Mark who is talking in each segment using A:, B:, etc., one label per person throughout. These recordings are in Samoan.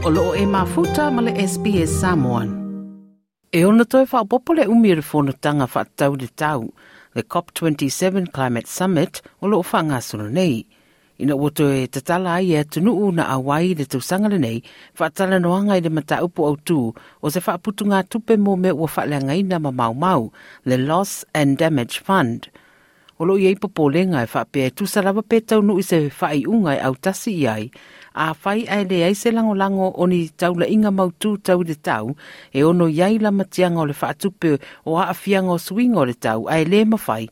A: O loo e mafuta ma le SBS Samoan. E ona toe faaopoopo le umi o le fonotaga faatatau i le tau, le COP27 Climate Summit o loo faagasolo nei. Ina ua toe tatala ai e atunuu na auai i le tausaga lenei faatalanoaga i le mataupu autū o se faaputugatupe mo mea ua faaleagaina ma maumau, le Loss and Damage Fund. O loo i ai popolega e faapea e tusa lava pe taunuu i se faaiuga e autasi i ai, afai ae leai se lagolago o ni taulaiga mautū tau i le tau e ono i ai lamatiaga o le faatupe o aafiaga o suiga o le tau ae lē mafai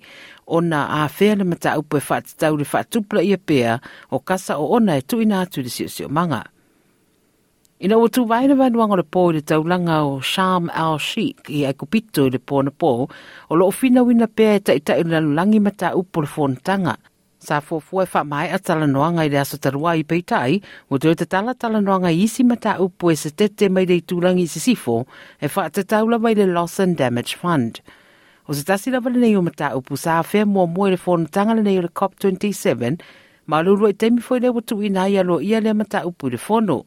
A: ona afea le mataupu e faatatau i le faatupulaia pea o kasa oona e tuuina atu i le siosiomaga. Ina ua tuvae le vaeluaga o le pō i le taulaga o Sharm el Sheikh i Aikupito i le pō anapo, o loo finauina pea e taitai o le lalolagi mataupu o le fonotaga. Sa fuafua e faamaea talanoaga i le aso talu ai peitai, ua toe tatala talanoaga i isi mataupu e se tete mai le itulagi i sisifo e faatatau lava i le Loss and Damage Fund. O se tasi lava lenei o mataupu sa afea muamua i le fonotaga lenei o le COP27, ma o le uluai taimi foi lea ua tuuina ai aloaia lea mataupu i le fono.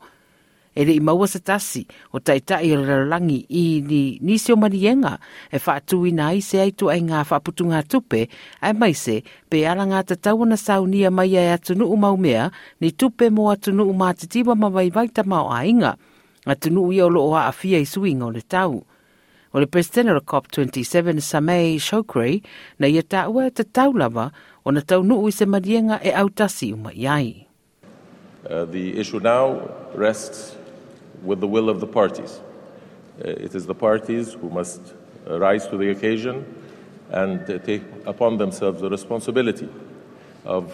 A: E le i maua se tasi o taitai o le lalolagi i ni nisi o maliega e faatuina ai se ai ituaiga faaputugatupe aemaise pe alagatatau ona saunia mai e atunuu maumea ni tupe mo atunuu matitiva ma vaivai tamaoaiga, atunuu ia o loo aafia i suiga o le tau. O le Peresetene o le COP27 Sameh Shoukry na ia taua e tatau lava ona taunuu i se maliega e autasi uma i ai.
B: The issue now rests with the will of the parties. It is the parties who must rise to the occasion and take upon themselves the responsibility of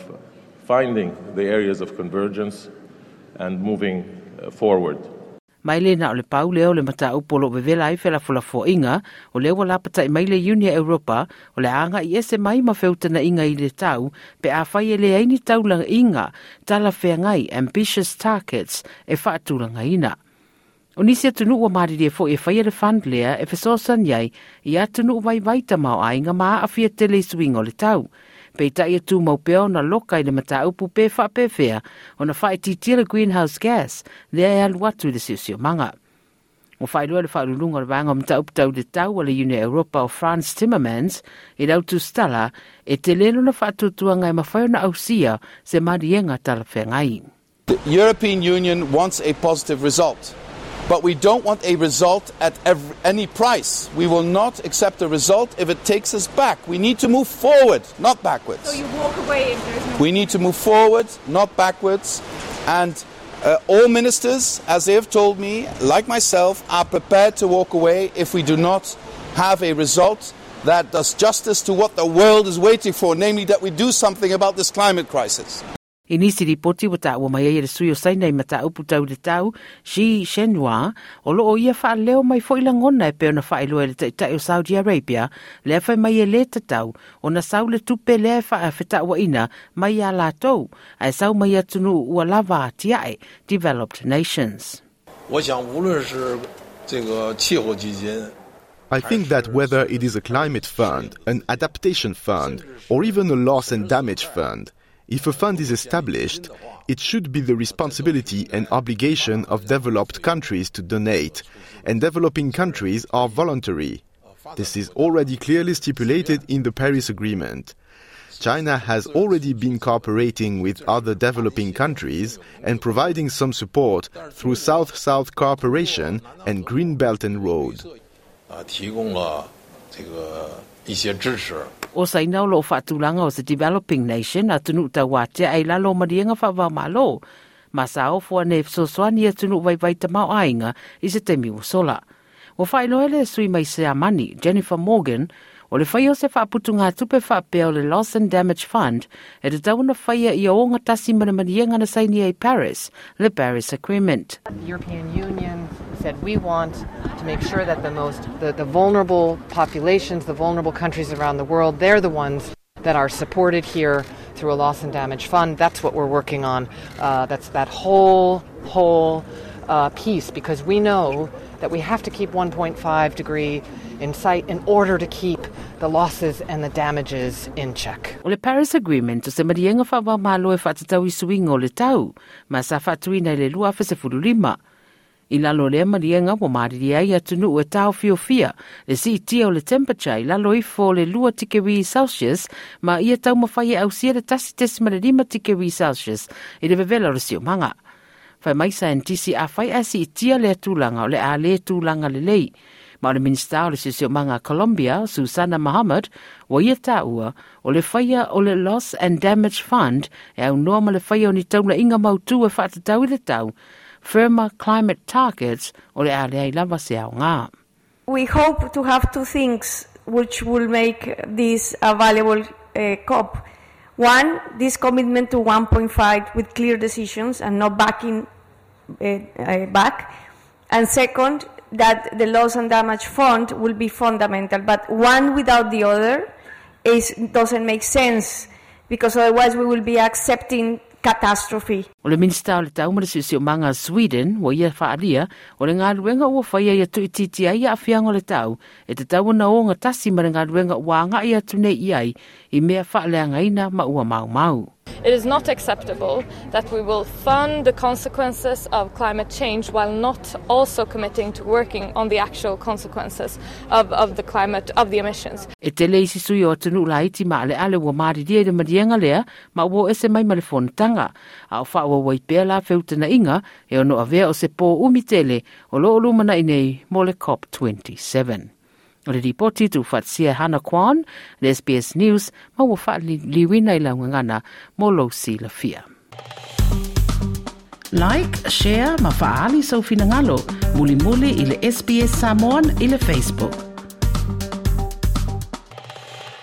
B: finding the areas of convergence and moving forward.
A: Ma e le na o le pau lea o le mataupu o loo vevela ai felafolafoaiga, o lea ua lapatai mai le Iuni a Europa o le a agai ese mai ma feutanaiga i le tau pe afai e leai ni taulaiga talafeagai, ambitious targets, e faatulagaina. O nisi atunuu ua malilie foi e faia le fund lea e fesoasoani ai i atunuu vaivai tamaoaiga ma aafia tele i suiga o le tau. Peitai e tumau pea ona loka i le mataupu pe faapefea ona faaitiitia le greenhouse gas lea e alu atu i le siosiomaga. Ua faailoa le faauluuluga o le vaega o mataupu tau i le tau a le Iuni a Europa o Frans Timmermans i le autusitala e tele lona faatuatuaga e mafai ona ausia se maliega talafeagai.
C: The European Union wants a positive result, but we don't want a result at any price. We will not accept a result if it takes us back. We need to move forward, not backwards.
D: So you walk away if there's no
C: We need to move forward, not backwards. And all ministers, as they have told me, like myself, are prepared to walk away if we do not have a result that does justice to what the world is waiting for, namely that we do something about this climate crisis.
A: I nisi ripoti ua taua mai ai e le sui o Saina i mataupu tau i le tau, Xi Zhenhua, o loo ia faaleo mai foi lagona e pei ona faailoa e le taitai o Saudi Arabia, lea fai mai e lē tatau ona sau le tupe lea e faafetauaina mai iā latou, ae sau mai atunuu ua lava atiae, developed nations.
E: 我想，无论是这个气候基金，
F: I think that whether it is a climate fund, an adaptation fund, or even a loss and damage fund, if a fund is established, it should be the responsibility and obligation of developed countries to donate, and developing countries are voluntary. This is already clearly stipulated in the Paris Agreement. China has already been cooperating with other developing countries and providing some support through South-South cooperation and Green Belt and Road.
E: 啊，提供了这个一些支持。
A: O Saina o loo faatulaga o se developing nation, atunuu tauatiae i lalo o maliega faava-o-Malo, ma sa ofo ane e fesoasoani i atunuu vaivai tamaoaiga i se taimi ua sola. Ua faailoa le sui mai Siamani, Jennifer Morgan, o le faia o se faaputugatupe faapea o le Loss and Damage Fund e tatau ona faia ia ogatasi ma le maliega na sainia i Paris, le Paris Agreement.
G: The European Union said we want to make sure that the vulnerable populations, the vulnerable countries around the world, they're the ones that are supported here through a loss and damage fund. That's what we're working on. That's that whole piece, because we know that we have to keep 1.5 degree in sight in order to keep the losses and the damages in check.
A: O le Paris Agreement o se maliega faava-o-Malo e faatatau i suiga o le tau, ma sa faatuina i le 2015. I lalo o lea maliega ua malilie ai atunuu e taofiofia le siitia o le temperature i lalo ifo o le 2 tikeri Celsius ma ia taumafai e ausia le 1.5 tikeri Celsius i le vevela o le siomaga. Fai mai saienitisi afai ae siitia lea tulaga o le a le tulaga lelei. Ma o le Minisita o le Siosiomaga a Colombia, Susana Muhammad, ua ia taua o le faia o le Loss and Damage Fund e aunoa ma le faia o ni taulaiga mautu e faatatau i le tau, Firmer Climate Targets, o le a leai lava se aoga.
D: We hope to have two things which will make this a valuable COP. One, this commitment to 1.5 with clear decisions and not backing back. And second, that the loss and damage fund will be fundamental. But one without the other doesn't make sense, because otherwise we will be accepting catastrophe.
A: O le Minisita o le Tau ma le Siosiomaga a Sweden, ua ia faaalia, o le galuega ua faia ia tuuitiitia ai aafiaga o le tau, e tatau ona ogatasi ma le galuega ua agai atu nei i ai i mea faaleagaina ma ua maumau.
H: It is not acceptable that we will fund the consequences of climate change while not also committing to working on the actual consequences of the climate, of the emissions.
A: E tele isi sui o atunuu laiti maaleale ua malilie i le maliega lea ma ua o ese mai ma le fonotaga, a o faaauau ai pea la feutanaiga e ono avea o se pō umi tele o lo o lumanai nei mo le COP27. O le lipoti tuufaatasia e Hannah Kwan, le SBS News, ma ua faaliliuina i lau gagana mo lou silafia. Like, share ma faaali sou finagalo, mulimuli i le SBS Samoan i le Facebook.